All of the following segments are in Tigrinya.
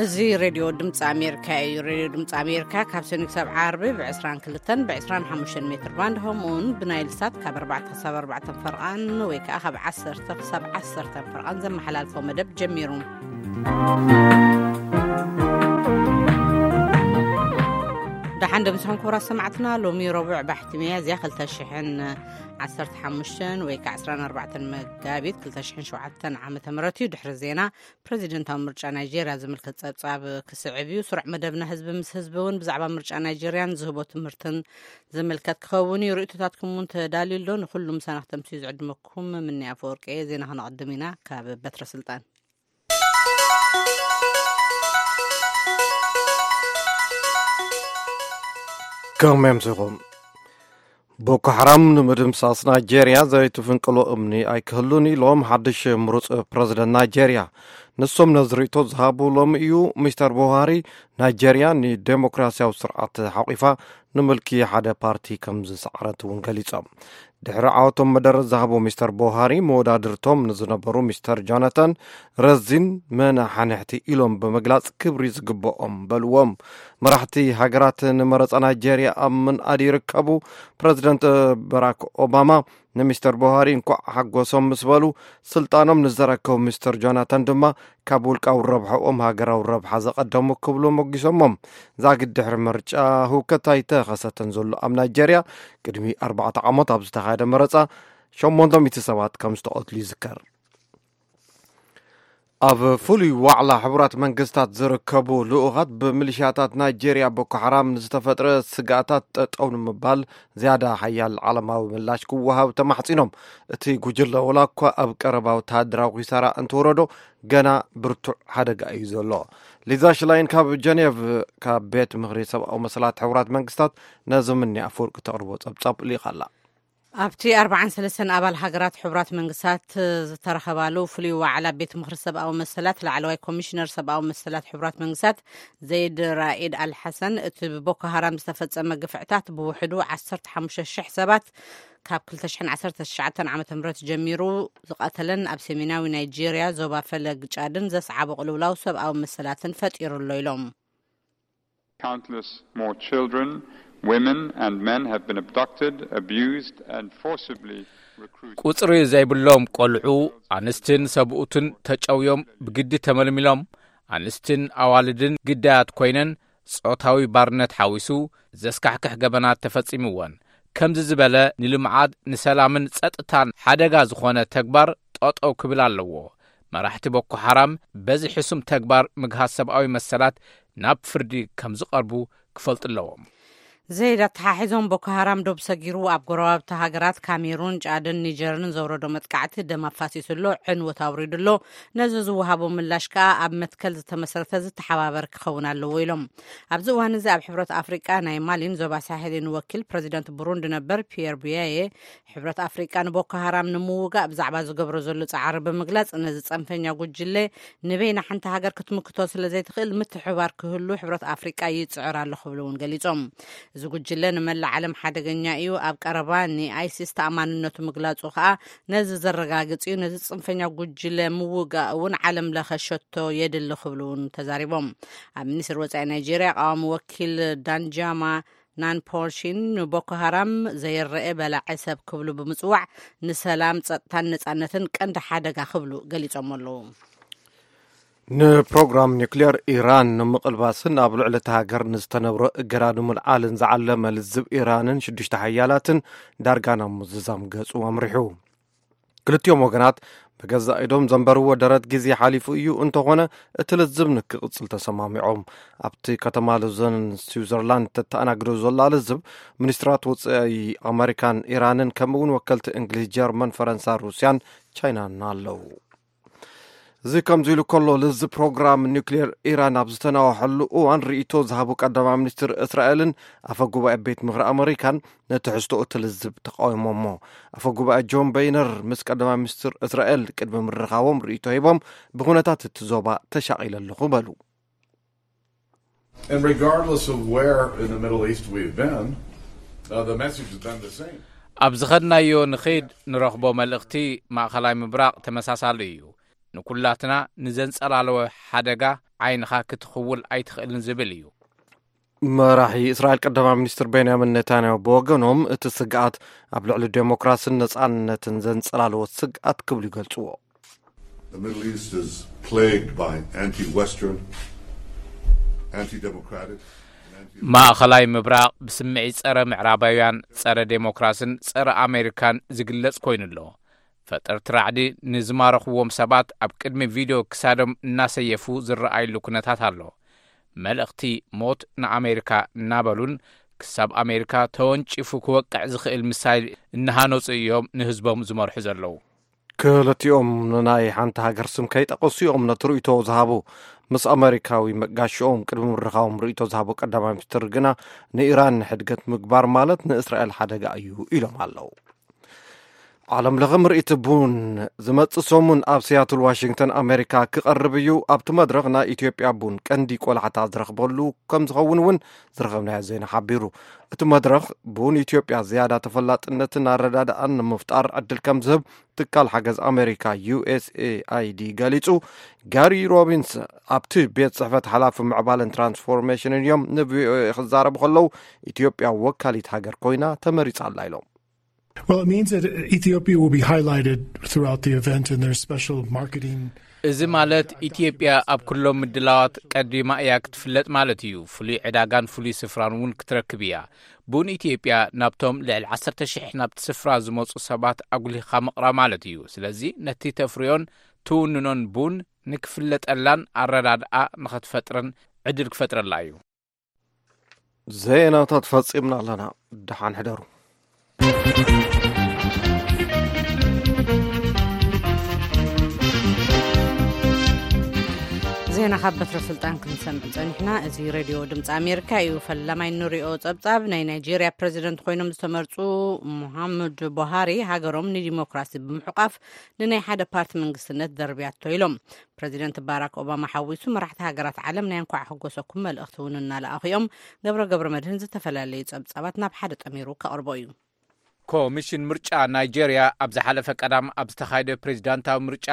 እዚ ሬድዮ ድምፂ ኣሜሪካ እዩ። ሬድዮ ድምፂ ኣሜሪካ ካብ ሰኒ ክሳብ ዓርቢ ብ22 ብ25 ሜትር ባንድ፣ ከምኡውን ብናይል ሳት ካብ ኣርባዕተ ክሳብ ኣርባዕተ ፈርቓን ወይ ከዓ ካብ ዓሰርተ ክሳብ ዓሰርተ ፈርቓን ዘመሓላልፎ መደብ ጀሚሩ። ደሓን ደምስኹም ክቡራት ሰማዕትና። ሎሚ ረቡዕ ባሕቲ ሚያዝያ ክልተ ሽሕን ዓሰርተ ሓሙሽተን ወይ ከዓ ዕስራን ኣርባዕተን መጋቢት ክልተ ሽሕን ሸውዓተን ዓመተ ምህረት እዩ። ድሕሪ ዜና፣ ፕረዚደንታዊ ምርጫ ናይጄርያ ዝምልከት ጸብጻብ ክስዕብ እዩ። ስሩዕ መደብና ህዝቢ ምስ ህዝቢ እውን ብዛዕባ ምርጫ ናይጄርያን ዝህቦ ትምህርትን ዝምልከት ክኸውን እዩ። ርእይቶታትኩም እውን ተዳልዩ ኣሎ። ንኹሉ ምሳና ክተምስዩ ዝዕድመኩም ምንያ ኣፈወርቂ እየ። ዜና ክነቕድም ኢና። ካብ በትረ ስልጣን። ከመይ ኣምሲኹም? ቦኮ ሓራም ንምድምሳስ ናይጄርያ ዘይትፍንቅሎ እምኒ ኣይክህሉን ኢሎም ሓድሽ ምሩፅ ፕረዚደንት ናይጄርያ። ንሶም ነዚ ርእይቶ ዝሃቡ ሎሚ እዩ። ሚስተር ቡሃሪ፣ ናይጄርያ ንዴሞክራሲያዊ ስርዓት ሓቂፋ ንምልኪ ሓደ ፓርቲ ከም ዝሰዓረት እውን ገሊጾም። ድሕሪ ዓወቶም መደረ ዝሃቡ ሚስተር ቡሃሪ፣ መወዳድርቶም ንዝነበሩ ሚስተር ጆናታን ረዚን መናሓንሕቲ ኢሎም ብምግላጽ ክብሪ ዝግብኦም በልዎም። መራሕቲ ሃገራት ንመረጻ ናይጄርያ ኣብ ምንኣድ ይርከቡ። ፕረዚደንት በራክ ኦባማ ንሚስተር ቡሃሪ እንኳዕ ሓጎሶም ምስ በሉ፣ ስልጣኖም ንዘረከቡ ሚስተር ጆናታን ድማ ካብ ውልቃዊ ረብሐኦም ሃገራዊ ረብሓ ዘቐደሙ ክብሉ ሞጊሶሞም። ዛጊድ ድሕሪ ምርጫ ህውከት ኣይተኸሰተን ዘሎ ኣብ ናይጄርያ፣ ቅድሚ ኣርባዕተ ዓመት ኣብ ዝተኻየደ መረጻ ሸሞንተ ሚእቲ ሰባት ከም ዝተቐትሉ ይዝከር። ኣብ ፍሉይ ዋዕላ ሕቡራት መንግስታት ዝርከቡ ልኡኻት፣ ብምሊሽያታት ናይጄርያ ቦኮ ሓራም ንዝተፈጥረ ስግኣታት ጠጠው ንምባል ዝያዳ ሓያል ዓለማዊ ምላሽ ክወሃብ ተማሕጺኖም። እቲ ጉጅለ ወላ እኳ ኣብ ቀረባ ወተሃደራዊ ኪሳራ እንተወረዶ፣ ገና ብርቱዕ ሓደጋ እዩ ዘሎ። ሊዛ ሽላይን ካብ ጀኔቭ፣ ካብ ቤት ምኽሪ ሰብኣዊ መሰላት ሕቡራት መንግስታት፣ ነዚ ምንያ ኣፈወርቂ ተቕርቦ ጸብጻብ ልኢኻ ኣላ። ኣብቲ ኣርባዓን ሰለስተን ኣባል ሃገራት ሕቡራት መንግስታት ዝተረኸባሉ ፍሉይ ዋዕላ ቤት ምኽሪ ሰብኣዊ መሰላት፣ ላዕለዋይ ኮሚሽነር ሰብኣዊ መሰላት ሕቡራት መንግስታት ዘይድ ራኢድ ኣልሓሰን፣ እቲ ብቦኮ ሃራም ዝተፈጸመ ግፍዕታት ብውሕዱ ዓሰርተ ሓሙሽተ ሽሕ ሰባት ካብ ክልተ ሽሕን ዓሰርተ ትሽዓተን ዓመተ ምህረት ጀሚሩ ዝቐተለን ኣብ ሰሜናዊ ናይጄርያ ዞባ ፈለግ ጫድን ዘስዓቦ ቅልውላው ሰብኣዊ መሰላትን ፈጢሩ ኣሎ ኢሎም። Countless more children, women and men have been abducted, abused and forcibly recruited. ቁጽሪ ዘይብሎም ቆልዑ፣ ኣንስትን ሰብኡትን ተጨውዮም ብግዲ ተመልሚሎም፣ ኣንስትን ኣዋልድን ግዳያት ኮይነን ጾታዊ ባርነት ሓዊሱ ዘስካሕክሕ ገበናት ተፈጺምወን። ከምዚ ዝበለ ንልምዓት፣ ንሰላምን ጸጥታን ሓደጋ ዝኾነ ተግባር ጠጠው ክብል ኣለዎ። መራሕቲ ቦኮ ሓራም በዚ ሕሱም ተግባር ምግሃስ ሰብኣዊ መሰላት ናብ ፍርዲ ከም ዝቐርቡ ክፈልጡ ኣለዎም። ዘይድ ኣተሓሒዞም፣ ቦኮ ሃራም ዶብ ሰጊሩ ኣብ ጎረባብቲ ሃገራት ካሜሩን፣ ጫድን ኒጀርን ዘውረዶ መጥቃዕቲ ደም ኣፋሲሱ ኣሎ፣ ዕንወት ኣውሪዱ ኣሎ። ነዚ ዝወሃቦ ምላሽ ከኣ ኣብ መትከል ዝተመሰረተ ዝተሓባበር ክኸውን ኣለዎ ኢሎም። ኣብዚ እዋን እዚ ኣብ ሕብረት ኣፍሪቃ ናይ ማሊን ዞባ ሳሄልን ወኪል ፕረዚደንት ቡሩንዲ ነበር ፒየር ቡያየ፣ ሕብረት ኣፍሪቃ ንቦኮ ሃራም ንምውጋእ ብዛዕባ ዝገብሮ ዘሎ ጻዕሪ ብምግላጽ፣ ነዚ ጸንፈኛ ጉጅለ ንበይና ሓንቲ ሃገር ክትምክቶ ስለ ዘይትኽእል ምትሕብባር ክህሉ ሕብረት ኣፍሪቃ ይጽዕር ኣሎ ክብሉ እውን ገሊጾም። እዚ ጉጅለ ንመላእ ዓለም ሓደገኛ እዩ፣ ኣብ ቀረባ ንኣይሲስ ተኣማንነቱ ምግላጹ ከኣ ነዚ ዘረጋግጽ እዩ፣ ነዚ ጽንፈኛ ጉጅለ ምውጋእ እውን ዓለም ለኸ ሸቶ የድሊ ክብሉ እውን ተዛሪቦም። ኣብ ሚኒስትሪ ወጻኢ ናይጄርያ ቀዋሚ ወኪል ዳንጃማ ናንፖርሺን ንቦኮ ሃራም ዘየረኤ በላዒ ሰብ ክብሉ ብምጽዋዕ፣ ንሰላም፣ ጸጥታን ነጻነትን ቀንዲ ሓደጋ ክብሉ ገሊጾም ኣለዉ። ንፕሮግራም ኒውክሌር ኢራን ንምቕልባስን ኣብ ልዕሊ እታ ሃገር ንዝተነብሮ እገዳ ንምልዓልን ዝዓለመ ልዝብ ኢራንን ሽዱሽተ ሓያላትን ዳርጋ ናብ ምዝዛም ገጹ ኣምሪሑ። ክልቲኦም ወገናት ብገዛእ ኢዶም ዘንበርዎ ደረት ግዜ ሓሊፉ እዩ፣ እንተኾነ እቲ ልዝብ ንክቕጽል ተሰማሚዖም። ኣብቲ ከተማ ሎዘን ስዊዘርላንድ ተተኣናግዶ ዘላ ልዝብ፣ ሚኒስትራት ወጻኢ ኣመሪካን ኢራንን፣ ከምኡ እውን ወከልቲ እንግሊዝ፣ ጀርመን፣ ፈረንሳ፣ ሩስያን ቻይናን ኣለዉ። እዚ ከምዚ ኢሉ ከሎ፣ ልዝብ ፕሮግራም ኒውክሌር ኢራን ኣብ ዝተናወሐሉ እዋን ርእይቶ ዝሃቡ ቀዳማይ ሚኒስትር እስራኤልን ኣፈ ጉባኤ ቤት ምኽሪ ኣመሪካን ነቲ ሕዝቶ እቲ ልዝብ ተቃዊሞሞ። ኣፈ ጉባኤ ጆን በይነር ምስ ቀዳማይ ሚኒስትር እስራኤል ቅድሚ ምርኻቦም ርእይቶ ሂቦም፣ ብኩነታት እቲ ዞባ ተሻቒለ ኣለኹ በሉ። And regardless of where in the Middle East we've been, uh, the message has been the same. ኣብ ዝኸድናዮ ንኸይድ ንረኽቦ መልእኽቲ ማእኸላይ ምብራቕ ተመሳሳሊ እዩ። ንኩላትና ንዘንጸላለወ ሓደጋ ዓይንኻ ክትኽውል ኣይትኽእልን ዝብል እዩ። መራሒ እስራኤል ቀዳማይ ሚኒስትር ቤንያሚን ኔታንያሁ ብወገኖም፣ እቲ ስግኣት ኣብ ልዕሊ ዴሞክራሲን ነጻነትን ዘንጸላለዎ ስግኣት ክብሉ ይገልጽዎ። The Middle East is plagued by anti-Western, anti-democratic, and anti- ማእኸላይ ምብራቕ ብስምዒት ጸረ ምዕራባውያን፣ ጸረ ዴሞክራስን ጸረ ኣሜሪካን ዝግለጽ ኮይኑ ኣሎ። ፈጠርቲ ራዕዲ ንዝማረኽዎም ሰባት ኣብ ቅድሚ ቪድዮ ክሳዶም እናሰየፉ ዝረኣይሉ ኩነታት ኣሎ። መልእኽቲ ሞት ንኣሜሪካ እናበሉን ክሳብ ኣሜሪካ ተወንጪፉ ክወቅዕ ዝኽእል ሚሳይል እናሃነፁ እዮም ንህዝቦም ዝመርሑ ዘለዉ። ክልቲኦም ንናይ ሓንቲ ሃገር ስም ከይጠቐሱ እዮም ነቲ ርእይቶ ዝሃቡ። ምስ ኣሜሪካዊ መጋሽኦም ቅድሚ ምርኻቦም ርእይቶ ዝሃቡ ቀዳማይ ሚኒስትር ግና፣ ንኢራን ንሕድገት ምግባር ማለት ንእስራኤል ሓደጋ እዩ ኢሎም ኣለዉ። ዓለም ለኸ ምርኢት ቡን ዝመጽእ ሰሙን ኣብ ሲያትል ዋሽንግተን ኣሜሪካ ክቐርብ እዩ። ኣብቲ መድረኽ ናይ ኢትዮጵያ ቡን ቀንዲ ቆላሕታ ዝረኽበሉ ከም ዝኸውን እውን ዝረኸብናዮ ዜና ሓቢሩ። እቲ መድረኽ ቡን ኢትዮጵያ ዝያዳ ተፈላጥነትን ኣረዳድኣን ንምፍጣር ዕድል ከም ዝህብ ትካል ሓገዝ ኣሜሪካ ዩ ኤስ ኤ ኣይ ዲ ገሊጹ። ጋሪ ሮቢንስ ኣብቲ ቤት ጽሕፈት ሓላፊ ምዕባለን ትራንስፎርሜሽንን እዮም ን ቪ ኦ ኤ ክዛረቡ ከለዉ፣ ኢትዮጵያ ወካሊት ሃገር ኮይና ተመሪጻ ኣላ ኢሎም። Well, it means that Ethiopia will be highlighted throughout the event, and there's special marketing. እዚ ማለት ኢትዮጵያ ኣብ ኩሎም ምድላዋት ቀዲማ እያ ክትፍለጥ ማለት እዩ። ፍሉይ ዕዳጋን ፍሉይ ስፍራን እውን ክትረክብ እያ። ቡን ኢትዮጵያ ናብቶም ልዕሊ ዓሰርተ ሽሕ ናብቲ ስፍራ ዝመፁ ሰባት ኣጉሊኻ ምቕራብ ማለት እዩ። ስለዚ ነቲ ተፍርዮን ትውንኖን ቡን ንክፍለጠላን ኣረዳድኣ ንኸትፈጥርን ዕድል ክፈጥረላ እዩ። ዜናታት ፈጺምና ኣለና። ደሓን ሕደሩ። ዜና ካብ በትረ ስልጣን ክንሰምዕ ጸኒሕና። እዚ ሬድዮ ድምፂ ኣሜሪካ እዩ። ፈላማይ እንሪኦ ጸብጻብ፣ ናይ ናይጄርያ ፕሬዚደንት ኮይኖም ዝተመርፁ ሙሃመድ ቡሃሪ ሃገሮም ንዲሞክራሲ ብምሕቋፍ ንናይ ሓደ ፓርቲ መንግስትነት ደርብያቶ ኢሎም። ፕሬዚደንት ባራክ ኦባማ ሓዊሱ መራሕቲ ሃገራት ዓለም ናይ እንኳዕ ሕጎሰኩም መልእኽቲ እውን እናለኣኹ እዮም። ገብረ ገብረ መድህን ዝተፈላለዩ ጸብጻባት ናብ ሓደ ጠሚሩ ከቕርቦ እዩ። ኮሚሽን ምርጫ ናይጄርያ ኣብ ዝሓለፈ ቀዳም ኣብ ዝተኻየደ ፕሬዚዳንታዊ ምርጫ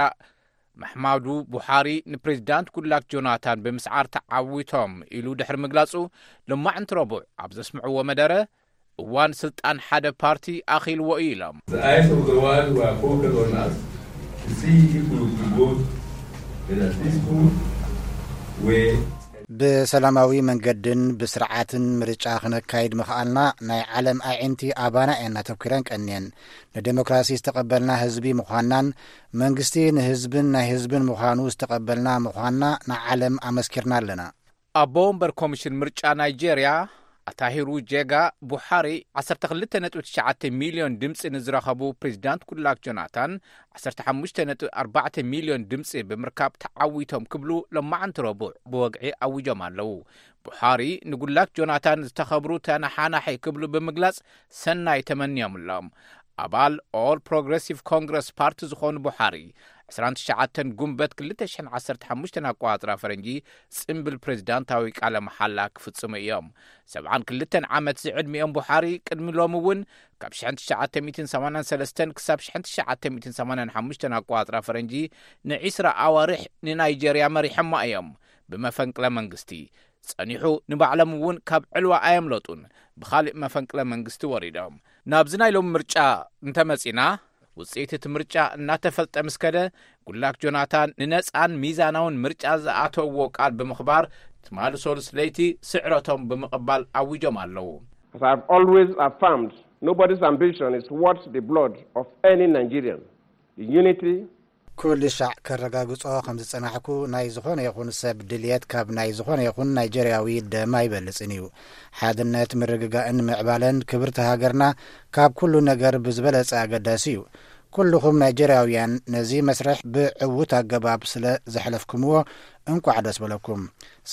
መሕማዱ ቡሓሪ ንፕሬዚዳንት ጉድላክ ጆናታን ብምስዓር ተዓዊቶም ኢሉ ድሕሪ ምግላጹ፣ ሎማዕንቲ ረቡዕ ኣብ ዘስምዕዎ መደረ፣ እዋን ስልጣን ሓደ ፓርቲ ኣኺልዎ እዩ ኢሎም። The eyes of the world were focused on us to see if we could vote in a peaceful way. ብሰላማዊ መንገድን ብስርዓትን ምርጫ ክነካይድ ምኽኣልና፣ ናይ ዓለም ኣዒንቲ ኣባና እየን ኣተኲረን ቀንየን። ንዴሞክራሲ ዝተቐበልና ህዝቢ ምዃንናን መንግስቲ ንህዝብን ናይ ህዝብን ምዃኑ ዝተቐበልና ምዃንና ንዓለም ኣመስኪርና ኣለና። ኣቦ ወንበር ኮሚሽን ምርጫ ናይጄርያ ኣታሂሩ ጄጋ፣ ቡሓሪ ዓሰርተ ክልተ ነጥቢ ትሽዓተ ሚልዮን ድምፂ ንዝረኸቡ ፕሬዚዳንት ጉድላክ ጆናታን ዓሰርተ ሓሙሽተ ነጥቢ ኣርባዕተ ሚልዮን ድምፂ ብምርካብ ተዓዊቶም ክብሉ ሎማዕንቲ ረቡዕ ብወግዒ ኣዊጆም ኣለዉ። ቡሓሪ ንጉድላክ ጆናታን ዝተኸብሩ ተነሓናሒ ክብሉ ብምግላጽ ሰናይ ተመንዮምሎም። ኣባል ኦል ፕሮግረሲቭ ኮንግረስ ፓርቲ ዝኾኑ ቡሓሪ፣ ዕስራን ትሽዓተን ጉንበት ክልተ ሽሕን ዓሰርተ ሓሙሽተን ኣቆጻጽራ ፈረንጂ ጽምብል ፕሬዚዳንታዊ ቃለ መሓላ ክፍጽሙ እዮም። ሰብዓን ክልተን ዓመት ዝዕድሚኦም ቡሓሪ ቅድሚ ሎሚ እውን ካብ ሽሕን ትሽዓተ ሚእትን ሰማንያን ሰለስተን ክሳብ ሽሕን ትሽዓተ ሚእትን ሰማንያን ሓሙሽተን ኣቆጻጽራ ፈረንጂ ንዒስራ ኣዋርሕ ንናይጀርያ መሪሖማ እዮም። ብመፈንቅለ መንግስቲ ጸኒሑ፣ ንባዕሎም እውን ካብ ዕልዋ ኣየምለጡን፣ ብኻልእ መፈንቅለ መንግስቲ ወሪዶም። ናብዚ ናይ ሎሚ ምርጫ እንተመጺና፣ ውጽኢት እቲ ምርጫ እናተፈልጠ ምስ ከደ፣ ጉላክ ጆናታን ንነጻን ሚዛናውን ምርጫ ዝኣተውዎ ቃል ብምኽባር፣ ትማሊ ሰሉስ ለይቲ ስዕረቶም ብምቕባል ኣዊጆም ኣለዉ። As I've always affirmed, nobody's ambition is worth the blood of any Nigerian. The unity ኩሉ ሻዕ ከረጋግጾ ከም ዝጸናሕኩ፣ ናይ ዝኾነ ይኹን ሰብ ድልየት ካብ ናይ ዝኾነ ይኹን ናይጀርያዊ ደም ኣይበልጽን እዩ። ሓድነት፣ ምርግጋእን ምዕባለን ክብርቲ ሃገርና ካብ ኩሉ ነገር ብዝበለጸ ኣገዳሲ እዩ። ኩልኹም ናይጀርያውያን ነዚ መስርሕ ብዕዉት ኣገባብ ስለ ዘሕለፍኩምዎ እንቋዕ ደስ በለኩም።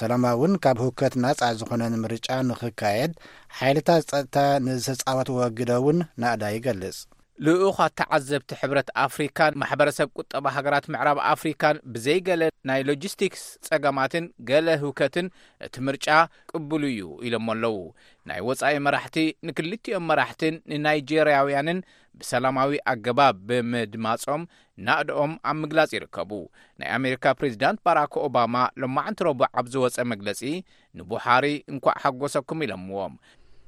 ሰላማውን ካብ ህውከት ናጻ ዝኾነን ምርጫ ንኽካየድ ሓይልታት ጸጥታ ንዝተጻወትዎ ግደ እውን ናእዳ ይገልጽ። ልኡኻት ተዓዘብቲ ሕብረት ኣፍሪካን ማሕበረሰብ ቁጠባ ሃገራት ምዕራብ ኣፍሪካን ብዘይገለ ናይ ሎጂስቲክስ ጸገማትን ገለ ህውከትን እቲ ምርጫ ቅቡል እዩ ኢሎም ኣለዉ። ናይ ወጻኢ መራሕቲ ንክልቲኦም መራሕትን ንናይጄርያውያንን ብሰላማዊ ኣገባብ ብምድማጾም ናእድኦም ኣብ ምግላጽ ይርከቡ። ናይ ኣሜሪካ ፕሬዚዳንት ባራክ ኦባማ ሎማዕንቲ ረቡዕ ኣብ ዝወጸ መግለጺ ንቡሓሪ እንኳዕ ሓጎሰኩም ኢሎምዎም።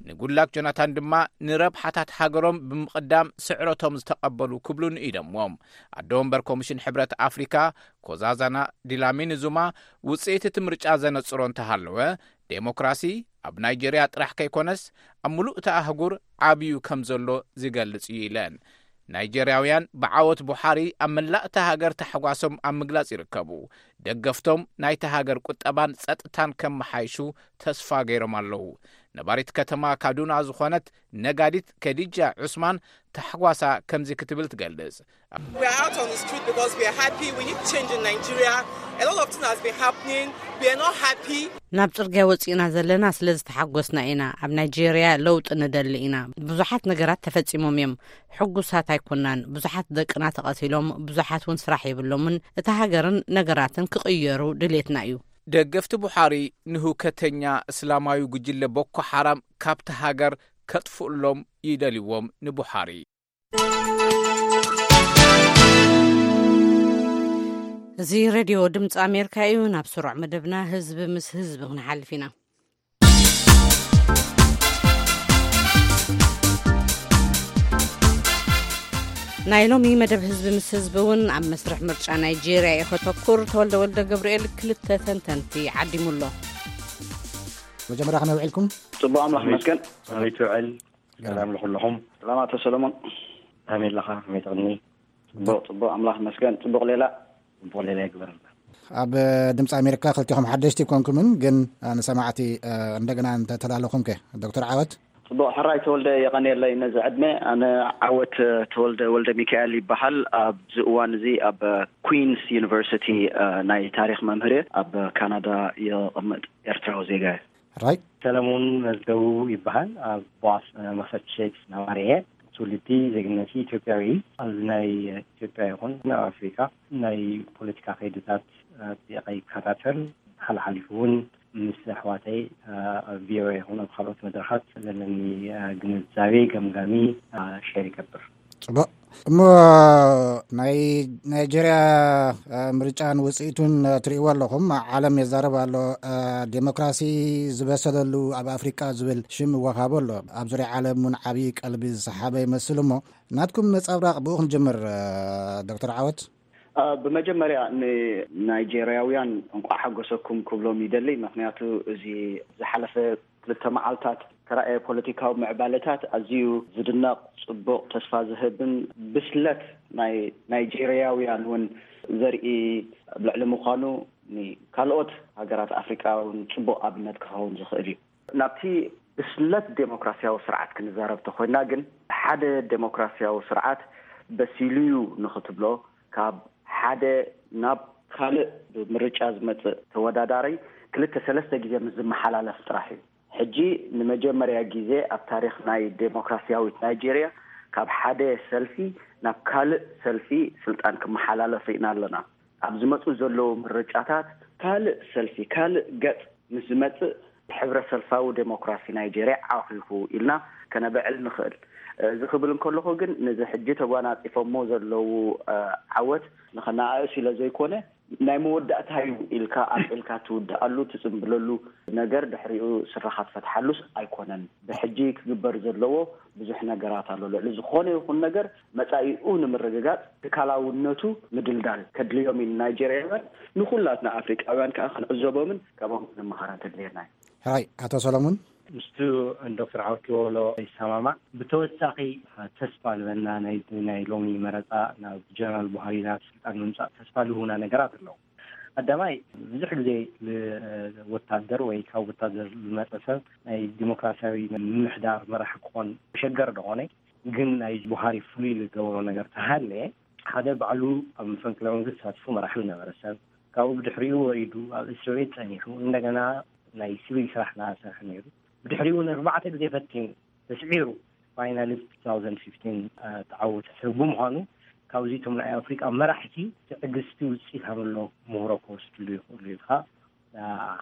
ንጉድላክ ጆናታን ድማ ንረብሓታት ሃገሮም ብምቕዳም ስዕረቶም ዝተቐበሉ ክብሉ ንኢዶምዎም። ኣዶ ወንበር ኮሚሽን ሕብረት ኣፍሪካ ኮዛዛና ዲላሚኒ ዙማ ውፅኢት እቲ ምርጫ ዘነፅሮ እንተሃለወ ዴሞክራሲ ኣብ ናይጄርያ ጥራሕ ከይኮነስ ኣብ ሙሉእ እቲ ኣህጉር ዓብዩ ከም ዘሎ ዝገልጽ እዩ ኢለን። ናይጄርያውያን ብዓወት ቡሓሪ ኣብ መላእ እታ ሃገር ታሕጓሶም ኣብ ምግላጽ ይርከቡ። ደገፍቶም ናይታ ሃገር ቁጠባን ጸጥታን ከመሓይሹ ተስፋ ገይሮም ኣለዉ። ነባሪት ከተማ ካዱና ዝኾነት ነጋዲት ከዲጃ ዑስማን ታሕጓሳ ከምዚ ክትብል ትገልጽ። We're out on the street because we are happy. We need change in Nigeria. A lot of things has been happening. We are not happy. ናብ ጽርግያ ወጺእና ዘለና ስለ ዝተሓጎስና ኢና። ኣብ ናይጄርያ ለውጢ ንደሊ ኢና። ብዙሓት ነገራት ተፈጺሞም እዮም። ሕጉሳት ኣይኮናን። ብዙሓት ደቅና ተቐቲሎም፣ ብዙሓት እውን ስራሕ የብሎምን። እታ ሃገርን ነገራትን ክቕየሩ ድሌትና እዩ። ደገፍቲ ቡሓሪ ንህውከተኛ እስላማዊ ጉጅለ ቦኮ ሓራም ካብቲ ሃገር ከጥፍእሎም ይደልዎም ንቡሓሪ። እዚ ሬድዮ ድምፂ ኣሜሪካ እዩ። ናብ ስሩዕ መደብና ህዝቢ ምስ ህዝቢ ክንሓልፍ ኢና። ናይ ሎሚ መደብ ህዝቢ ምስ ህዝቢ እውን ኣብ መስርሕ ምርጫ ናይጄርያ እዩ ከተኩር። ተወልደ ወልደ ገብርኤል ክልተ ተንተንቲ ዓዲሙ ኣሎ። መጀመርያ ከመይ ውዒልኩም? ጽቡቕ ኣምላኽ ይመስገን። ኣቤት ውዕል። ሰላም ንኹልኹም። ሰላም ኣቶ ሰለሞን። ከመይ ኣለኻ? ከመይ ትቕኒ? ጽቡቕ፣ ጽቡቕ፣ ኣምላኽ ይመስገን። ጽቡቕ ሌላ። ጽቡቕ ሌላ ይግበረልና። ኣብ ድምፂ ኣሜሪካ ክልቲኹም ሓደሽቲ ኣይኮንኩምን፣ ግን ንሰማዕቲ እንደገና እንተተላለኹም ከ? ዶክተር ዓወት? ጽቡቕ፣ ሕራይ ተወልደ፣ የቐንየለይ ነዚ ዕድመ። ኣነ ዓወት ተወልደ ወልደ ሚካኤል ይበሃል። ኣብዚ እዋን እዚ ኣብ ኩዊንስ ዩኒቨርሲቲ ናይ ታሪኽ መምህር እየ። ኣብ ካናዳ የቐምጥ ኤርትራዊ ዜጋ እየ። ራይት። ሰለሙን መዝገቡ ይበሃል። ኣብ ቦስተን ማሳቹሴትስ ነባሪ እየ። ትውልዲ ዜግነቲ ኢትዮጵያዊ እዩ። ኣብዚ ናይ ኢትዮጵያ ይኹን ኣብ ኣፍሪካ ናይ ፖለቲካ ከይድታት ኣጥቢቐ ይከታተል። ሓልሓሊፉ እውን ምስ ኣሕዋተይ ኣብ ቪኦኤ ይኹን ኣብ ካልኦት መድረኻት ዘለኒ ግንዛቤ ገምጋሚ ሸር ይገብር። ጽቡቕ። እሞ ናይ ናይጀርያ ምርጫን ውፅኢቱን ትርእይዎ ኣለኹም። ዓለም የዛረብ ኣሎ። ዴሞክራሲ ዝበሰለሉ ኣብ ኣፍሪቃ ዝብል ሽም ይወሃቦ ኣሎ። ኣብ ዙሪያ ዓለም እውን ዓብዪ ቀልቢ ዝሰሓበ ይመስል። እሞ ናትኩም ነፃብራቕ ብኡ ክንጅምር። ዶክተር ዓወት? ብመጀመርያ ንናይጀርያውያን እንቋዕ ሓጎሰኩም ክብሎም ይደሊ። ምክንያቱ እዚ ዝሓለፈ ክልተ መዓልታት ተራእየ ፖለቲካዊ ምዕባለታት ኣዝዩ ዝድነቕ፣ ጽቡቕ፣ ተስፋ ዝህብን ብስለት ናይ ናይጄርያውያን እውን ዘርኢ ኣብ ልዕሊ ምዃኑ ንካልኦት ሃገራት ኣፍሪቃ እውን ጽቡቕ ኣብነት ክኸውን ዝኽእል እዩ። ናብቲ ብስለት ዴሞክራሲያዊ ስርዓት ክንዛረብ ተኾይና ግን ሓደ ዴሞክራሲያዊ ስርዓት በሲሉ እዩ ንኽትብሎ ካብ ሓደ ናብ ካልእ ብምርጫ ዝመጽእ ተወዳዳሪ ክልተ ሰለስተ ግዜ ምስ ዝመሓላለፍ ጥራሕ እዩ። ሕጂ ንመጀመርያ ግዜ ኣብ ታሪኽ ናይ ዴሞክራሲያዊት ናይጄርያ ካብ ሓደ ሰልፊ ናብ ካልእ ሰልፊ ስልጣን ክመሓላለፍ ርኢና ኣለና። ኣብ ዝመጹ ዘለዉ ምርጫታት ካልእ ሰልፊ፣ ካልእ ገጽ ምስ ዝመጽእ ሕብረ ሰልፋዊ ዴሞክራሲ ናይጄርያ ዓኺኹ ኢልና ከነብዕል ንኽእል። እዚ ክብል እንከለኹ ግን ነዚ ሕጂ ተጓናጺፎሞ ዘለዉ ዓወት ንኸነኣእስ ኢለ ዘይኮነ ናይ መወዳእታ እዩ ኢልካ ኣልዒልካ ትውድኣሉ ትጽምብለሉ ነገር ድሕሪኡ ስረኻ ትፈትሓሉስ ኣይኮነን። ብሕጂ ክግበር ዘለዎ ብዙሕ ነገራት ኣሎ። ልዕሊ ዝኾነ ይኹን ነገር መጻኢኡ ንምርግጋጽ ትካላውነቱ ምድልዳል ከድልዮም እዩ ንናይጀርያውያን፣ ንኹላትና ኣፍሪቃውያን ከኣ ክንዕዘቦምን ካብኦም ክንመሃረን ተድልየና እዩ። ሕራይ ኣቶ ሰሎሙን። ምስቱ ዶክተር ዓወት ዝበሎ ይሰማማዕ። ብተወሳኺ ተስፋ ልበና ናይ ናይ ሎሚ መረፃ ናብ ጀነራል ቡሃሪ ናብ ስልጣን ምምፃእ ተስፋ ልህቡና ነገራት ኣለዉ። ቀዳማይ ብዙሕ ግዜ ወታደር ወይ ካብ ወታደር ዝመፀ ሰብ ናይ ዲሞክራሲያዊ ምምሕዳር መራሒ ክኾን መሸገር ደኾነ። ግን ናይ ቡሃሪ ፍሉይ ዝገበሮ ነገር ተሃለየ ሓደ ባዕሉ ኣብ መፈንቅለ መንግስቲ ተሳትፎ መራሒ ዝነበረ ሰብ ካብኡ ብድሕሪኡ ወሪዱ ኣብ እስር ቤት ጸኒሑ እንደገና ናይ ሲቪል ስራሕ እናሰርሐ ነይሩ። ብድሕሪኡ ንኣርባዕተ ግዜ ፈቲኑ ተስዒሩ ፋይናሊ two thousand fifteen ተዓወተ ሰብ ብምዃኑ ካብዚ እቶም ናይ ኣፍሪቃ መራሕቲ ትዕግስቲ ውፅኢት ሃምሎ ምህሮ ክወስድሉ ይኽእሉ ኢልካ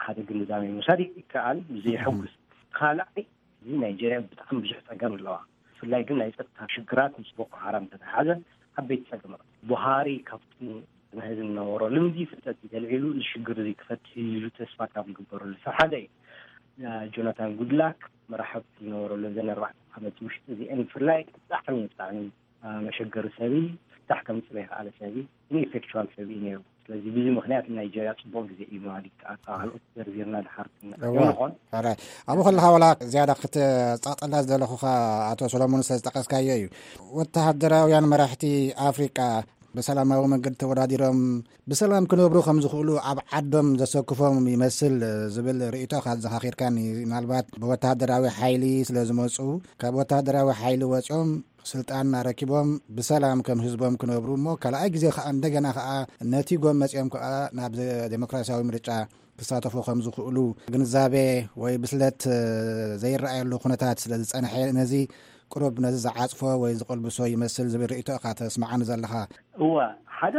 ሓደ ግንዛቤ ምውሳድ ይከኣል። እዚ የሐጉስ። ካልኣይ እዚ ናይጀርያ ብጣዕሚ ብዙሕ ፀገም ኣለዋ። ብፍላይ ግን ናይ ፀጥታ ሽግራት ምስ ቦኮ ሓራም ተተሓዘ ዓበይቲ ፀገማት ቡሃሪ ካብቲ ንህዝቢ ዝነበሮ ልምዲ ፍልጠት ተልዒሉ እዚ ሽግር እዚ ክፈትሕ ኢሉ ተስፋ ካብ ዝግበረሉ ሰብ ሓደ እዩ። ጆናታን ጉድላክ መራሕብ ዝነበረሉ ዘን ኣርባዕተ ዓመት ውሽጢ እዚአን ብፍላይ ብጣዕሚ ብጣዕሚ መሸገሪ ሰብ እዩ። ፍታሕ ከምፅእ ዘይከኣለ ሰብ እዩ። ኢንኤፌክቹዋል ሰብ እዩ ነይሩ። ስለዚ ብዙ ምክንያት ናይጀርያ ፅቡቅ ግዜ እዩ ማለት ይከኣል። ካብ ካልኦት ዘርዚርና ድሓር ክንመፅእ እዋ ይኾን። ኣራይ። ኣብኡ ከለኻ ዋላ ዝያዳ ክትፃፀላ ዝደለኹኻ ኣቶ ሰሎሞን ስለዝጠቀስካዮ እዩ። ወተሃደራውያን መራሕቲ ኣፍሪቃ ብሰላማዊ መንገዲ ተወዳዲሮም ብሰላም ክነብሩ ከም ዝኽእሉ ኣብ ዓዶም ዘሰክፎም ይመስል ዝብል ርእይቶኻ ኣዘኻኺርካኒ። ምናልባት ብወተሃደራዊ ሓይሊ ስለ ዝመፁ ካብ ወተሃደራዊ ሓይሊ ወፂኦም ስልጣን ኣረኪቦም ብሰላም ከም ህዝቦም ክነብሩ እሞ ካልኣይ ግዜ ከዓ እንደገና ከዓ ነቲጎም መፂኦም ከዓ ናብ ዴሞክራሲያዊ ምርጫ ክሳተፉ ከም ዝኽእሉ ግንዛቤ ወይ ብስለት ዘይረኣየሉ ኩነታት ስለ ዝፀንሐ ነዚ ቅሩብ ነዚ ዝዓፅፎ ወይ ዝቆልብሶ ይመስል ዝብል ርእይቶ ኢኻ ተስምዓኒ ዘለኻ። እወ፣ ሓደ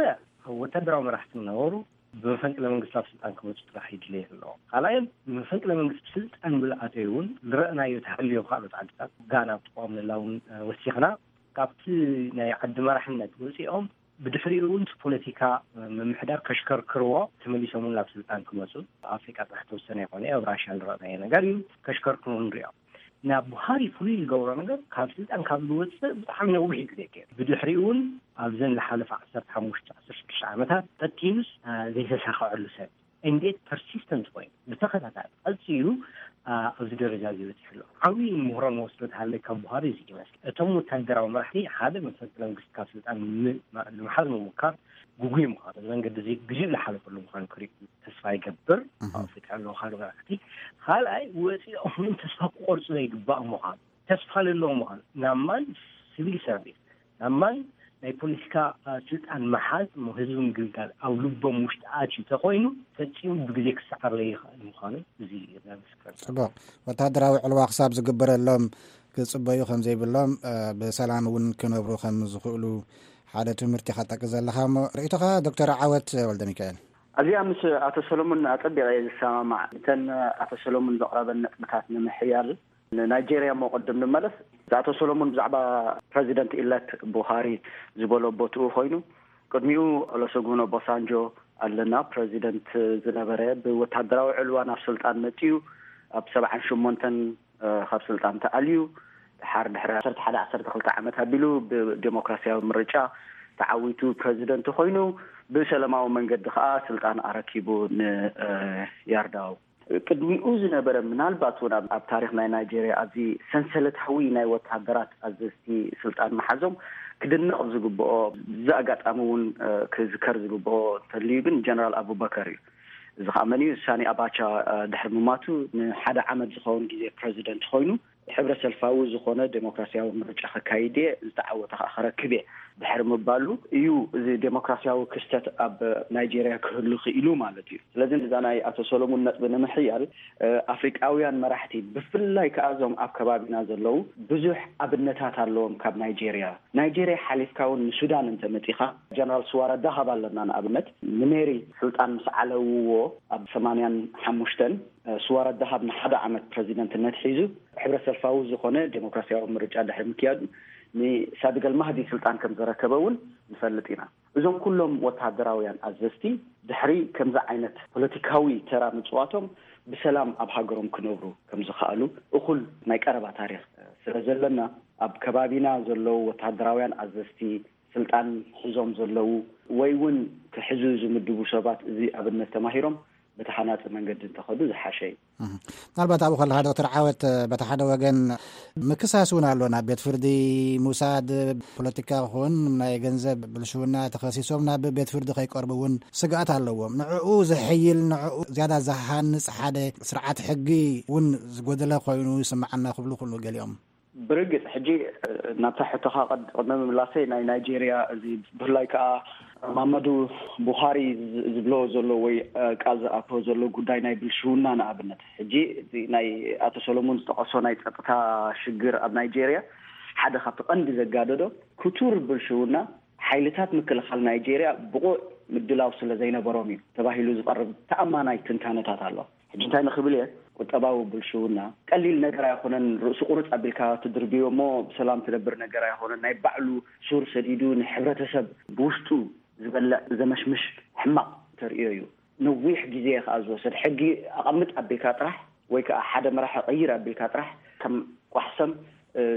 ወታደራዊ መራሕቲ ነበሩ ብመፈንቅለ መንግስቲ ኣብ ስልጣን ክመፁ ጥራሕ ይድለየ ኣለዎ። ካልኣዮም ብመፈንቅለ መንግስቲ ስልጣን ብልኣተዩ እውን ዝረእናዮ ተሃልዮ ካልኦት ዓድታት ጋና ብተቃዋሚ ዘላ እውን ወሲኽና ካብቲ ናይ ዓዲ መራሕነት ወፂኦም ብድሕሪኡ እውን ፖለቲካ ምምሕዳር ከሽከርክርዎ ተመሊሶም እውን ናብ ስልጣን ክመፁ ኣብ ኣፍሪቃ ጥራሕ ተወሰነ ይኮነ ኣብ ራሽያ ዝረእናዮ ነገር እዩ። ከሽከርክርዎ ንሪኦም ናብ ቡሃሪ ፍሉይ ዝገብሮ ነገር ካብ ስልጣን ካብ ዝወፅእ ብጣዕሚ ነዊሕ ግዜ ገይሩ ብድሕሪኡ እውን ኣብዘን ዝሓለፈ ዓሰርተ ሓሙሽተ ዓሰርተ ሽዱሽተ ዓመታት ቀጢሉስ ዘይተሳኸዐሉ ሰብ እንዴት ፐርሲስተንት ኮይኑ ብተኸታታሊ ቀፂሉ ኣብዚ ደረጃ እዚ በፂሑ ኣሎ። ዓብዪ ምህሮ ንወስዶ ተሃለይ ካብ ቡሃሪ እዚ ይመስል እቶም ወታደራዊ መራሕቲ ሓደ መፈንቅለ መንግስቲ ካብ ስልጣን ንምሓዝ ምሙካር ግጉይ ምዃኑ እዚ መንገዲ እዚ ግዜኡ ዝሓለፈሉ ምዃኑ ክርኢ ተስፋ ይገብር። ኣብ ኣፍሪቃ ኣለዉ ካልእ መራሕቲ ካልኣይ ወፂኦም እውን ተስፋ ክቆርፁ ዘይግባእ ምዃኑ ተስፋ ለለዎ ምዃኑ ናብ ማን ሲቪል ሰርቪስ ናብ ማን ናይ ፖለቲካ ስልጣን ምሓዝ ህዝቢ ምግልጋል ኣብ ልቦም ውሽጢ ኣትዩ ተኮይኑ ፈፂሙ ብግዜ ክሰዓር ዘይኽእል ምዃኑ እዚ ዘምስክር። ፅቡቅ። ወታደራዊ ዕልዋ ክሳብ ዝግበረሎም ክፅበዩ ከም ዘይብሎም ብሰላም እውን ክነብሩ ከም ዝኽእሉ ሓደ ትምህርቲ ኢኻ ትጠቅስ ዘለኻ እሞ ርእይቶኻ ዶክተር ዓወት ወልደ ሚካኤል? ኣዚኣ ምስ ኣቶ ሰሎሞን ኣጸቢቐ እየ ዝሰማማዕ። እተን ኣቶ ሰሎሞን ዘቕረበን ነጥብታት ንምሕያል ንናይጄርያ እሞ ቅድም ንመለስ፣ ኣቶ ሰሎሞን ብዛዕባ ፕረዚደንት ኢለት ቡሃሪ ዝበሎ ቦትኡ ኮይኑ ቅድሚኡ ኦሎሰጉን ኦባሳንጆ ኣለና፣ ፕረዚደንት ዝነበረ ብወታደራዊ ዕልዋ ናብ ስልጣን መጺኡ ኣብ ሰብዓን ሸሞንተን ካብ ስልጣን ተኣልዩ ድሓር ድሕሪ ዓሰርተ ሓደ ዓሰርተ ክልተ ዓመት ኣቢሉ ብዴሞክራሲያዊ ምርጫ ተዓዊቱ ፕረዚደንት ኮይኑ ብሰላማዊ መንገዲ ከዓ ስልጣን ኣረኪቡ ንያርዳው። ቅድሚኡ ዝነበረ ምናልባት እውን ኣብ ታሪክ ናይ ናይጀርያ ኣብዚ ሰንሰለታዊ ናይ ወታደራት ኣዘዝቲ ስልጣን መሓዞም ክድነቕ ዝግብኦ፣ እዚ ኣጋጣሚ እውን ክዝከር ዝግብኦ እንተልዩ ግን ጀነራል ኣቡበከር እዩ። እዚ ከዓ መን እዩ? ሳኒ ኣባቻ ድሕሪ ምማቱ ንሓደ ዓመት ዝኸውን ግዜ ፕረዚደንት ኮይኑ ሕብረ ሰልፋዊ ዝኾነ ዴሞክራሲያዊ ምርጫ ከካይድ እየ፣ ዝተዓወተ ከዓ ከረክብ እየ ድሕሪ ምባሉ እዩ እዚ ዴሞክራሲያዊ ክስተት ኣብ ናይጄርያ ክህሉ ክኢሉ ማለት እዩ። ስለዚ እዛ ናይ ኣቶ ሰሎሙን ነጥቢ ንምሕያል ኣፍሪቃውያን መራሕቲ ብፍላይ ከዓ እዞም ኣብ ከባቢና ዘለዉ ብዙሕ ኣብነታት ኣለዎም ካብ ናይጄርያ። ናይጄርያ ሓሊፍካ እውን ንሱዳን እንተመፂኻ ጀነራል ስዋረ ዳሃብ ኣለና ንኣብነት ንሜሪ ስልጣን ምስ ዓለውዎ ኣብ ሰማንያን ሓሙሽተን ስዋረ ዳሃብ ንሓደ ዓመት ፕረዚደንትነት ሒዙ ሕብረ ሰልፋዊ ዝኾነ ዴሞክራሲያዊ ምርጫ ድሕሪ ምክያዱ ንሳድገል ማህዲ ስልጣን ከም ዘረከበ እውን ንፈልጥ ኢና። እዞም ኩሎም ወታደራውያን ኣዘዝቲ ድሕሪ ከምዚ ዓይነት ፖለቲካዊ ተራ ምፅዋቶም ብሰላም ኣብ ሃገሮም ክነብሩ ከም ዝኸኣሉ እኹል ናይ ቀረባ ታሪክ ስለ ዘለና ኣብ ከባቢና ዘለዉ ወታደራውያን ኣዘዝቲ ስልጣን ሒዞም ዘለዉ ወይ እውን ክሕዙ ዝምድቡ ሰባት እዚ ኣብነት ተማሂሮም በቲ ሃናፂ መንገዲ እንተኸዱ ዝሓሸ እዩ። ምናልባት ኣብኡ ከለካ ዶክተር ዓወት በቲ ሓደ ወገን ምክሳስ እውን ኣሎ ናብ ቤት ፍርዲ ምውሳድ ፖለቲካ ክኾን ናይ ገንዘብ ብልሽውና ተኸሲሶም ናብ ቤት ፍርዲ ከይቀርቡ እውን ስግኣት ኣለዎም። ንዕኡ ዘሐይል ንዕኡ ዝያዳ ዝሃንፅ ሓደ ስርዓት ሕጊ እውን ዝጎደለ ኮይኑ ይስምዓና ክብሉ ክእሉ ገሊኦም። ብርግፅ ሕጂ ናብታ ሕቶኻ ቅድሚ ምምላሰይ ናይ ናይጄርያ እዚ ብፍላይ ከዓ ማመዱ ቡኻሪ ዝብሎ ዘሎ ወይ ቃል ዝኣቶ ዘሎ ጉዳይ ናይ ብልሽውና ንኣብነት ሕጂ ናይ ኣቶ ሰሎሞን ዝጠቀሶ ናይ ፀጥታ ሽግር ኣብ ናይጄርያ ሓደ ካብቲ ቀንዲ ዘጋደዶ ክቱር ብልሽውና ሓይልታት ምክልኻል ናይጄርያ ብቑዕ ምድላው ስለ ዘይነበሮም እዩ ተባሂሉ ዝቐርብ ተኣማናይ ትንታነታት ኣሎ። ሕጂ እንታይ ንኽብል እየ፣ ቁጠባዊ ብልሽውና ቀሊል ነገር ኣይኮነን። ርእሲ ቁርፅ ኣቢልካ ትድርብዮ እሞ ብሰላም ትነብር ነገር ኣይኮነን። ናይ ባዕሉ ሱር ሰዲዱ ንሕብረተሰብ ብውሽጡ ዝበልዕ ዘመሽምሽ ሕማቕ ተርእዮ እዩ። ነዊሕ ግዜ ከዓ ዝወሰድ፣ ሕጊ ኣቐምጥ ኣቢልካ ጥራሕ ወይ ከዓ ሓደ መራሒ ቀይር ኣቢልካ ጥራሕ ከም ቋሕሰም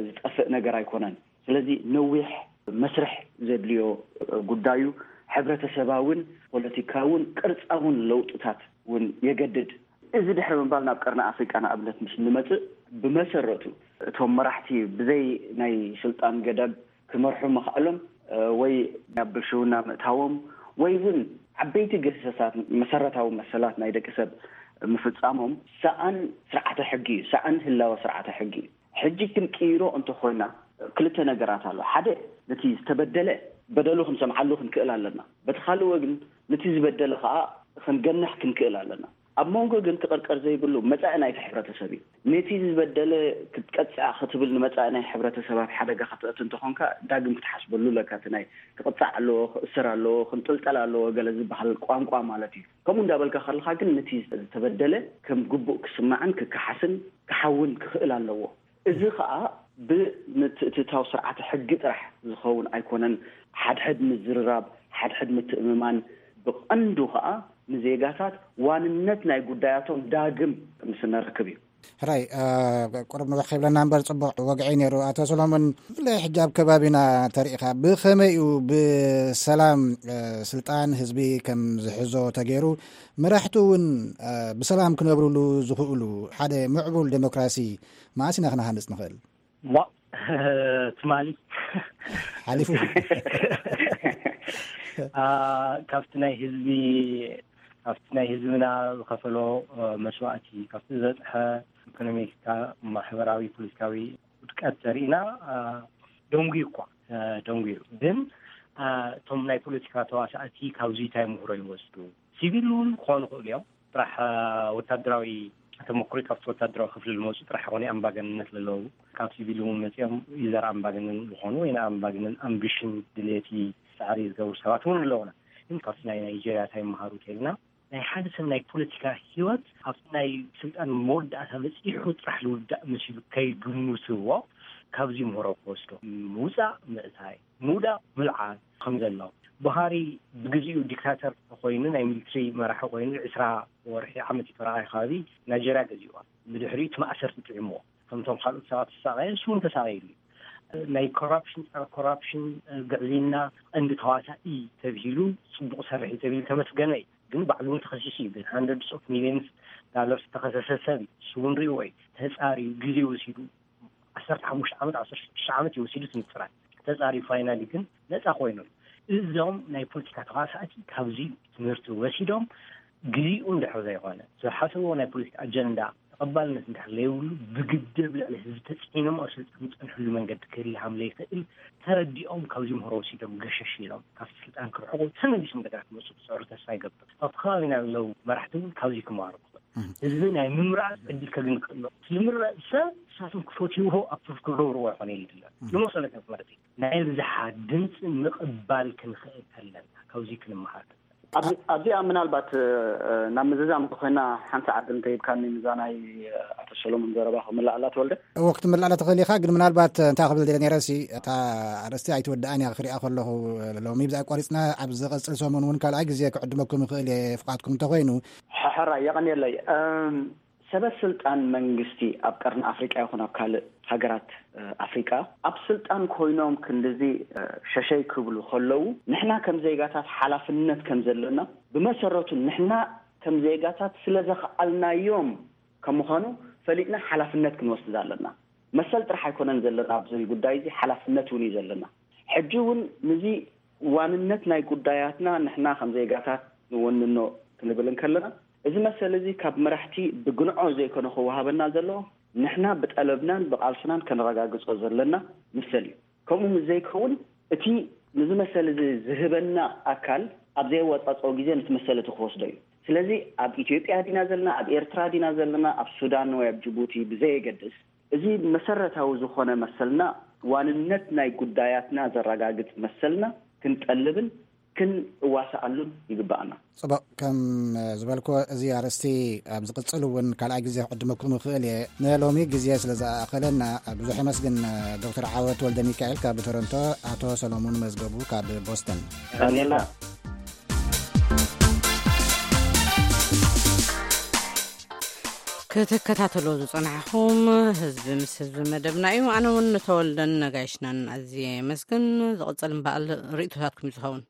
ዝጠፍእ ነገር ኣይኮነን። ስለዚ ነዊሕ መስርሕ ዘድልዮ ጉዳዩ፣ ሕብረተሰባውን ፖለቲካውን ቅርፃውን ለውጥታት እውን የገድድ። እዚ ድሕሪ ምባል ናብ ቀርኒ ኣፍሪቃ ንኣብነት ምስ ንመፅእ፣ ብመሰረቱ እቶም መራሕቲ ብዘይ ናይ ስልጣን ገደብ ክመርሑ ምኽኣሎም ወይ ናብ ብልሽውና ምእታዎም ወይ እውን ዓበይቲ ገሰሳት መሰረታዊ መሰላት ናይ ደቂ ሰብ ምፍፃሞም ሰኣን ስርዓተ ሕጊ እዩ፣ ሰኣን ህላወ ስርዓተ ሕጊ እዩ። ሕጂ ክንቅይሮ እንተኾይና ክልተ ነገራት ኣሎ። ሓደ፣ ነቲ ዝተበደለ በደሉ ክንሰምዓሉ ክንክእል ኣለና። በቲ ካልእ ወግን ነቲ ዝበደለ ከዓ ክንገንሕ ክንክእል ኣለና። ኣብ መንጎ ግን ክቕርቀር ዘይብሉ መጻኢ ናይቲ ሕብረተሰብ እዩ። ነቲ ዝበደለ ክትቀጽዓ ክትብል ንመጻኢ ናይ ሕብረተሰብ ኣብ ሓደጋ ከተእቲ እንተኾንካ ዳግም ክትሓስበሉ ኣለካ። እቲ ናይ ክቕጻዕ ኣለዎ፣ ክእሰር ኣለዎ፣ ክንጥልጠል ኣለዎ ገለ ዝበሃል ቋንቋ ማለት እዩ። ከምኡ እንዳበልካ ከለኻ ግን ነቲ ዝተበደለ ከም ግቡእ ክስማዕን ክከሓስን ክሓውን ክኽእል ኣለዎ። እዚ ኸኣ ብምትእትታው ስርዓተ ሕጊ ጥራሕ ዝኸውን ኣይኮነን። ሓድሕድ ምዝርራብ፣ ሓድሕድ ምትእምማን ብቐንዱ ኸኣ ንዜጋታት ዋንነት ናይ ጉዳያቶም ዳግም ምስ ነረክብ እዩ። ሕራይ፣ ቁርብ ንውሕ ከይብለና እምበር ጽቡቕ ወግዒ ነይሩ። ኣቶ ሰሎሞን፣ ብፍላይ ሕጂ ኣብ ከባቢና ተሪኢኻ ብኸመይ እዩ ብሰላም ስልጣን ህዝቢ ከም ዝሕዞ ተገይሩ፣ መራሕቱ እውን ብሰላም ክነብሩሉ ዝኽእሉ ሓደ ምዕቡል ዴሞክራሲ መዓስ ኢና ክነሃንጽ ንኽእል? ዋ ትማሊ ሓሊፉ። ካብቲ ናይ ህዝቢ ካብቲ ናይ ህዝብና ዝኸፈሎ መስዋእቲ፣ ካብቲ ዝበፅሐ ኢኮኖሚካ፣ ማሕበራዊ፣ ፖለቲካዊ ውድቀት ተሪእና ደንጉዩ እኳ ደንጉዩ። ግን እቶም ናይ ፖለቲካ ተዋሳእቲ ካብዚ እንታይ ምህሮ ይወስዱ? ሲቪል እውን ክኾኑ ይኽእሉ እዮም። ጥራሕ ወታደራዊ ተመክሮ ካብቲ ወታደራዊ ክፍሊ ዝመፁ ጥራሕ ይኾኑ ኣምባገንነት ዘለዉ። ካብ ሲቪል እውን መፂኦም ይዘር ኣምባገነን ዝኾኑ ወይ ንኣምባገነን ኣምቢሽን ድሌቲ ፃዕሪ ዝገብሩ ሰባት እውን ኣለውና። ግን ካብቲ ናይ ናይጀርያ እንታይ ይመሃሩ ተልና ናይ ሓደ ሰብ ናይ ፖለቲካ ህይወት ኣብቲ ናይ ስልጣን መወዳእታ በፂሑ ጥራሕ ዝውዳእ መሲሉ ከይግምትዎ ካብዚ ምህሮ ክወስዶ ምውፃእ ምእታይ ምውዳቕ ምልዓል ከም ዘሎ ባህሪ ብግዜኡ ዲክታተር ኮይኑ ናይ ሚሊትሪ መራሒ ኮይኑ ዕስራ ወርሒ ዓመት ይተረኣየ ከባቢ ናይጀርያ ገዚእዋ። ብድሕሪኡ እቲ ማእሰርቲ ጥዕምዎ ከምቶም ካልኦት ሰባት ተሳቀየ ንሱ እውን ተሳቀይሉ እዩ። ናይ ኮራፕሽን ጸረ ኮራፕሽን ግዕዝይና ቀንዲ ተዋሳኢ ተብሂሉ ጽቡቕ ሰርሒ ተብሂሉ ተመስገነ እዩ። ግን ባዕሉ እውን ተኸሲሱ እዩ። ግን ሃንድረድስ ኦፍ ሚሊዮንስ ዳለርስ ተኸሰሰ ሰብ እዩ። ንሱ እውን ርእይዎ እዩ። ተጻርዩ ግዜ ወሲዱ ዓሰርተ ሓሙሽተ ዓመት ዓሰርተ ሽዱሽተ ዓመት እዩ ወሲዱ እቲ ምጽራይ። ተጻርዩ ፋይናሊ ግን ነጻ ኮይኑሉ። እዞም ናይ ፖለቲካ ተዋሳእቲ ካብዚ ትምህርቲ ወሲዶም ግዜኡ እንድሕር ዘይኮነ ዝሓሰብዎ ናይ ፖለቲካ ኣጀንዳ ተቐባልነት እንድሕር ዘይብሉ ብግደብ ልዕሊ ህዝቢ ተጽዒኖም ኣብ ስልጣን ዝጸንሕሉ መንገዲ ክህሊ ሃም ዘይክእል ተረዲኦም ካብዚ ምህሮ ወሲዶም ገሸሽ ኢሎም ካብቲ ስልጣን ክርሕቁ ተመሊሶም እንደገና ክመፁ ክፅዕሩ ተስፋ ይገብር። ኣብቲ ከባቢና ዘለዉ መራሕቲ እውን ካብዚ ክመሃሩ ክኽእል ህዝቢ ናይ ምምራፅ ዕድል ከግኒ ክእል ዝምረፅ ሰብ ንሳቶም ክፈትይዎ ኣፕሩቭ ክገብርዎ ኣይኮነ ይድለ ዝመሰለካ ማለት እዩ። ናይ ብዝሓት ድምፂ ምቕባል ክንኽእል ከለና ካብዚ ክንመሃር ኣብዚኣ ምናልባት ናብ ምዝዛም እንተኮይና ሓንቲ ዓዲ እንተሂብካኒ ንዛ ናይ ኣቶ ሰሎሞን ዘረባ ክምልኣላ ተወልደ። እዎ ክትምልኣላ ትኽእል ኢኻ፣ ግን ምናልባት እንታይ ክብል ደለ ነይረሲ እታ ኣርእስቲ ኣይትወድኣን እያ ክሪኣ ከለኹ ሎሚ ብዛ ኣቋሪፅና ኣብ ዝቐፅል ሰሙን እውን ካልኣይ ግዜ ክዕድመኩም ይኽእል እየ ፍቓድኩም እንተኮይኑ። ሕሕራ የቐንየለይ። ሰበ ስልጣን መንግስቲ ኣብ ቀርኒ ኣፍሪቃ ይኹን ኣብ ካልእ ሃገራት ኣፍሪቃ ኣብ ስልጣን ኮይኖም ክንድዚ ሸሸይ ክብሉ ከለዉ ንሕና ከም ዜጋታት ሓላፍነት ከም ዘለና ብመሰረቱ ንሕና ከም ዜጋታት ስለ ዘኽኣልናዮም ከም ምዃኑ ፈሊጥና ሓላፍነት ክንወስድ ኣለና። መሰል ጥራሕ ኣይኮነን ዘለና ኣብዚ ጉዳይ እዚ ሓላፍነት እውን እዩ ዘለና። ሕጂ እውን ንዚ ዋንነት ናይ ጉዳያትና ንሕና ከም ዜጋታት ንወንኖ ክንብል እንከለና እዚ መሰል እዚ ካብ መራሕቲ ብግንዖ ዘይኮነ ክወሃበና ዘለዎ ንሕና ብጠለብናን ብቓልስናን ከነረጋግጾ ዘለና መሰል እዩ። ከምኡ ምስ ዘይከውን እቲ ንዚ መሰል እዚ ዝህበና ኣካል ኣብ ዘየወጻጽኦ ግዜ ነቲ መሰል እቲ ክወስዶ እዩ። ስለዚ ኣብ ኢትዮጵያ ዲና ዘለና፣ ኣብ ኤርትራ ዲና ዘለና፣ ኣብ ሱዳን ወይ ኣብ ጅቡቲ ብዘየገድስ እዚ መሰረታዊ ዝኾነ መሰልና ዋንነት ናይ ጉዳያትና ዘረጋግጽ መሰልና ክንጠልብን ክንዋሳኣሉን ይግባኣና። ጽቡቕ፣ ከም ዝበልኩ፣ እዚ ኣርእስቲ ኣብ ዝቕጽል እውን ካልኣይ ግዜ ክዕድመኩም ይኽእል እየ። ንሎሚ ግዜ ስለ ዝኣኸለና ብዙሕ የመስግን። ዶክተር ዓወት ወልደ ሚካኤል ካብ ቶሮንቶ፣ ኣቶ ሰሎሙን መዝገቡ ካብ ቦስተን። ቀኒልና። ክትከታተሎ ዝጸናሕኹም ህዝቢ ምስ ህዝቢ መደብና እዩ። ኣነ እውን ንተወልደን ነጋይሽናን ኣዝየ የመስግን። ዝቕጽል እምበኣል ርእይቶታትኩም እዩ ዝኸውን።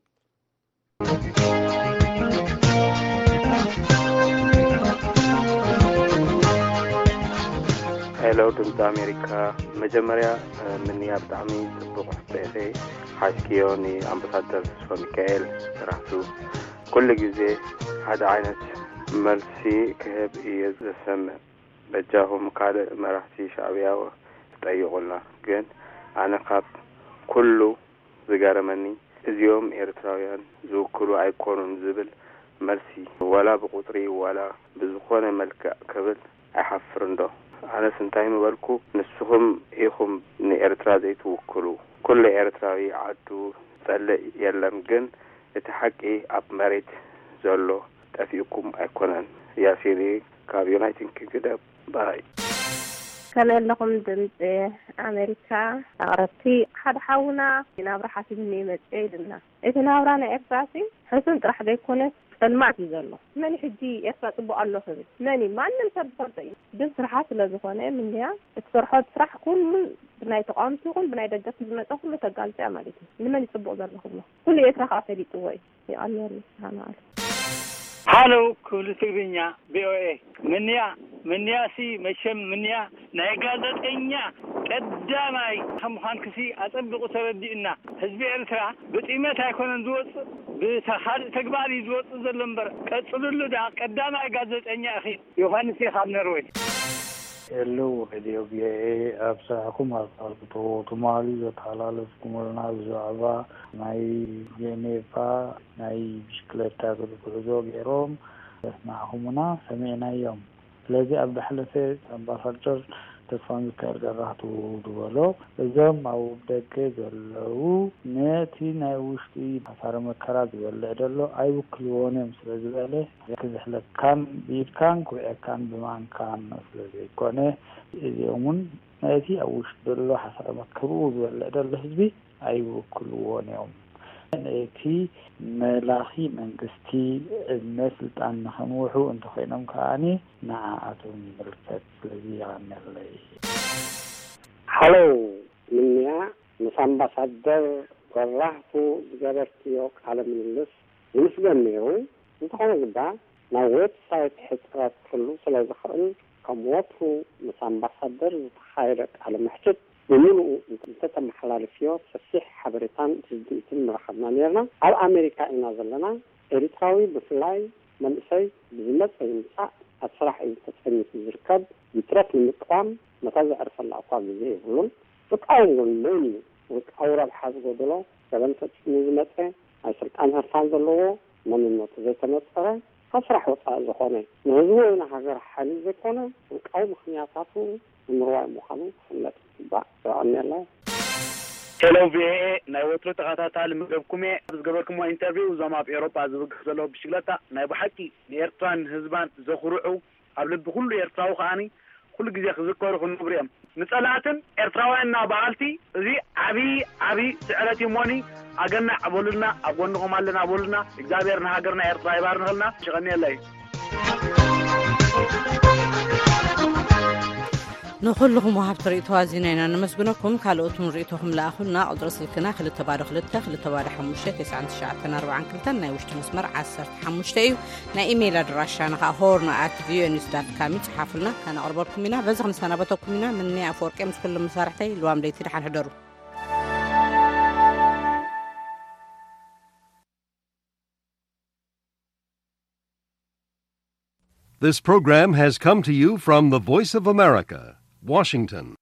ሄሎ፣ ድምፂ ኣሜሪካ። መጀመርያ፣ እ፣ ምንያ ብጣዕሚ ጽቡቕ ሕቶ ኢኺ ሓዝክዮ ንኣምባሳደር ተስፋ ሚካኤል ስራሕቱ። ኩሉ ግዜ ሓደ ዓይነት መልሲ ክህብ እየ ዝሰምዕ። በጃኹም ካልእ መራሕቲ ሻዕብያ ትጠይቑልና። ግን ኣነ ካብ ኩሉ ዝገረመኒ፣ እዚኦም ኤርትራውያን ዝውክሉ ኣይኮኑን ዝብል መልሲ፣ ዋላ ብቁጽሪ ዋላ ብዝኾነ መልክዕ ክብል ኣይሓፍርን ዶ? ኣነስ እንታይ ምበልኩ፣ ንስኹም ኢኹም ንኤርትራ ዘይትውክሉ። ኩሉ ኤርትራዊ ዓዱ ጸልእ የለን፣ ግን እቲ ሓቂ ኣብ መሬት ዘሎ ጠፊኡኩም ኣይኮነን። ያሲሪ ካብ ዩናይትድ ኪንግደም። ባይ። ከመይ ኣለኹም ድምፂ ኣሜሪካ ኣቕረብቲ? ሓደ ሓውና ናብራ ሓሲብኒ መፅእ ኢልና። እቲ ናብራ ናይ ኤርትራ ሲ ሕሱን ጥራሕ ዘይኮነስ ጸልማት እዩ ዘሎ። መን ሕጂ ኤርትራ ጽቡቕ ኣሎ ክብል? መን እዩ? ማንም ሰብ ዝፈልጦ እዩ። ግን ስርሓ ስለ ዝኾነ ምንያ እትሰርሖ ስራሕ ኩሉ ብናይ ተቃወምቲ ይኹን ብናይ ደገፍቲ ዝመጸ ኩሉ ተጋልጾ እያ ማለት እዩ። ንመን እዩ ጽቡቕ ዘሎ ክብሎ? ኩሉ ኤርትራ ከዓ ፈሊጥዎ እዩ። ይቐንየሉ። ሰላም ኣለ። ሃሎ ክብሉ ትግርኛ ቪኦኤ። ምንያ፣ ምንያሲ መቸም ምንያ ናይ ጋዜጠኛ ቀዳማይ ከም ምዃንክሲ ኣጸቢቑ ተረዲኡና። ህዝቢ ኤርትራ ብጥይመት ኣይኮነን ዝወጽእ፣ ብካልእ ተግባር እዩ ዝወጽእ ዘሎ እምበር፣ ቀጽልሉ ደኣ፣ ቀዳማይ ጋዜጠኛ ኢኺ። ዮሃንስ እየ ካብ ነርወይ። ሄሎ ሬድዮ ቪኦኤ፣ ኣብ ስራሕኩም ኣሳልጦ። ትማሊ ዘተሓላለፍኩምልና ብዛዕባ ናይ ጀኔቫ ናይ ብሽክለታ ጉዕዞ ገይሮም ዘስማዕኹምና ሰሚዕናዮም። ስለዚ ኣብ ዝሓለፈ ኣምባሳደር ተስፋሚካኤል ገራህቱ ዝበሎ፣ እዞም ኣብ ደገ ዘለዉ ነቲ ናይ ውሽጢ ሓሳረ መከራ ዝበልዕ ዘሎ ኣይውክልዎን እዮም ስለ ዝበለ፣ ክዝሕለካን ብኢድካን ክውዕየካን ብማንካን ስለ ዘይኮነ፣ እዚኦም እውን ነቲ ኣብ ውሽጢ ዘሎ ሓሳረ መከርኡ ዝበልዕ ዘሎ ህዝቢ ኣይውክልዎን እዮም። ነቲ መላኺ መንግስቲ ዕድመ ስልጣን ንኸንውሑ እንተኾይኖም ከኣኒ ንዓኣቶም ይምልከት። ስለዚ የቐንየለይ። ሃሎ፣ ምንያ ምስ ኣምባሳደር ገራህቱ ዝገበርክዮ ቃለ ምልልስ ዝምስገን ነይሩ። እንተኾነ ግዳ፣ ናይ ዌብሳይት ሕጽረት ክህሉ ስለ ዝኽእል፣ ከም ወትሩ ምስ ኣምባሳደር ዝተኻየደ ቃለ መሕትት ብምሉኡ እንተተመሓላልፍዮ ሰፊሕ ሓበሬታን ርድኢትን ምረኸብና ነይርና። ኣብ ኣሜሪካ ኢና ዘለና። ኤሪትራዊ ብፍላይ መንእሰይ ብዝመጸ ይምጻእ ኣብ ስራሕ እዩ ተጸሚቱ ዝርከብ። ይትረፍ ንምቅዋም ነታ ዘዕርፈላ እኳ ግዜ የብሉን። ዝቃወም እውን መን እዩ? ውልቃዊ ረብሓ ዝጎደሎ፣ ገበን ፈጺሙ ዝመጸ፣ ናይ ስልጣን ህርፋን ዘለዎ፣ መንነቱ ዘይተነጸረ፣ ካብ ስራሕ ወጻኢ ዝኾነ፣ ንህዝቡ ወይ ንሃገር ሓልዩ ዘይኮነ፣ ውልቃዊ ምኽንያታቱ ንምርዋይ ምዃኑ ክፍለጥ ይግባእ። የቐንየለይ። ሄሎ ቪኦኤ፣ ናይ ወትሩ ተኸታታሊ መደብኩም እየ። ኣብ ዝገበርኩሞ ኢንተርቪው፣ እዞም ኣብ ኤውሮጳ ዝብገስ ዘለዉ ብሽግለታ ናይ ብሓቂ ንኤርትራን ህዝባን ዘኹርዑ፣ ኣብ ልቢ ኩሉ ኤርትራዊ ከኣኒ ኩሉ ግዜ ክዝከሩ ክነብሩ እዮም። ንጸላእትን ኤርትራውያንና በሃልቲ እዚ ዓቢ፣ ዓቢ ስዕረት እዩ እሞኒ፣ ኣገናዕ በሉልና፣ ኣብ ጎንኹም ኣለና በሉልና። እግዚኣብሔር ንሃገርና ኤርትራ ይባርኽልና። ይቐንየለይ። ንኹልኹም ወሃብቲ ርእይቶ ኣዚና ኢና ነመስግነኩም። ካልኦት እውን ርእይቶኹም ለኣኹልና። ቁጽሪ ስልክና ክልተ ባዶ ክልተ፣ ክልተ ባዶ ሓሙሽተ፣ ተስዓን ትሽዓተን ኣርባዓን ክልተን፣ ናይ ውሽጢ መስመር ዓሰርተ ሓሙሽተ እዩ። ናይ ኢሜይል ኣድራሻና ኸኣ ሆርን ኣት ቪኦኤ ኒውስ ዳት ካም እዩ። ጽሓፉልና፣ ከነቕርበልኩም ኢና። በዚ ክንሰናበተኩም ኢና። ምንያ ኣፈወርቂ ምስ ኩሎም መሳርሕተይ፣ ልዋም ለይቲ፣ ደሓን ሕደሩ። This program has come to you from the Voice of America, Washington.